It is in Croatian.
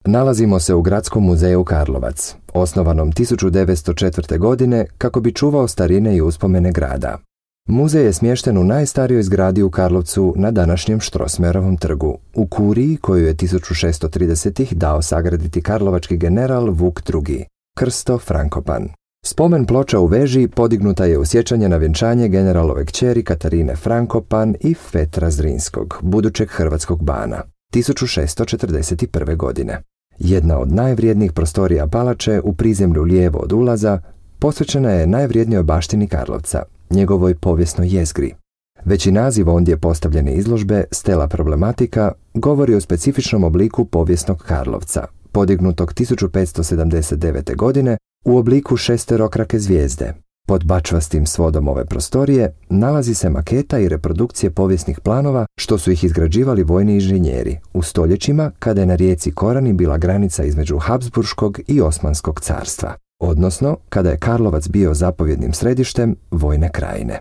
Nalazimo se u Gradskom muzeju Karlovac, osnovanom 1904. godine kako bi čuvao starine i uspomene grada. Muzej je smješten u najstarijoj zgradi u Karlovcu na današnjem Strossmayerovom trgu, u kuriji koju je 1630-ih dao sagraditi karlovački general Vuk II, Krsto Frankopan. Spomen ploča u veži podignuta je u sjećanje na vjenčanje generalove kćeri Katarine Frankopan i Petra Zrinskog, budućeg hrvatskog bana, 1641. godine. Jedna od najvrijednijih prostorija palače u prizemlju lijevo od ulaza posvećena je najvrijednijoj baštini Karlovca, njegovoj povijesnoj jezgri. Već i naziv ondje postavljene izložbe Stela problematika govori o specifičnom obliku povijesnog Karlovca, podignutog 1579. godine u obliku šesterokrake zvijezde. Pod bačvastim svodom ove prostorije nalazi se maketa i reprodukcije povijesnih planova što su ih izgrađivali vojni inženjeri u stoljećima kada je na rijeci Korani bila granica između Habsburškog i Osmanskog carstva, odnosno kada je Karlovac bio zapovjednim središtem vojne krajine.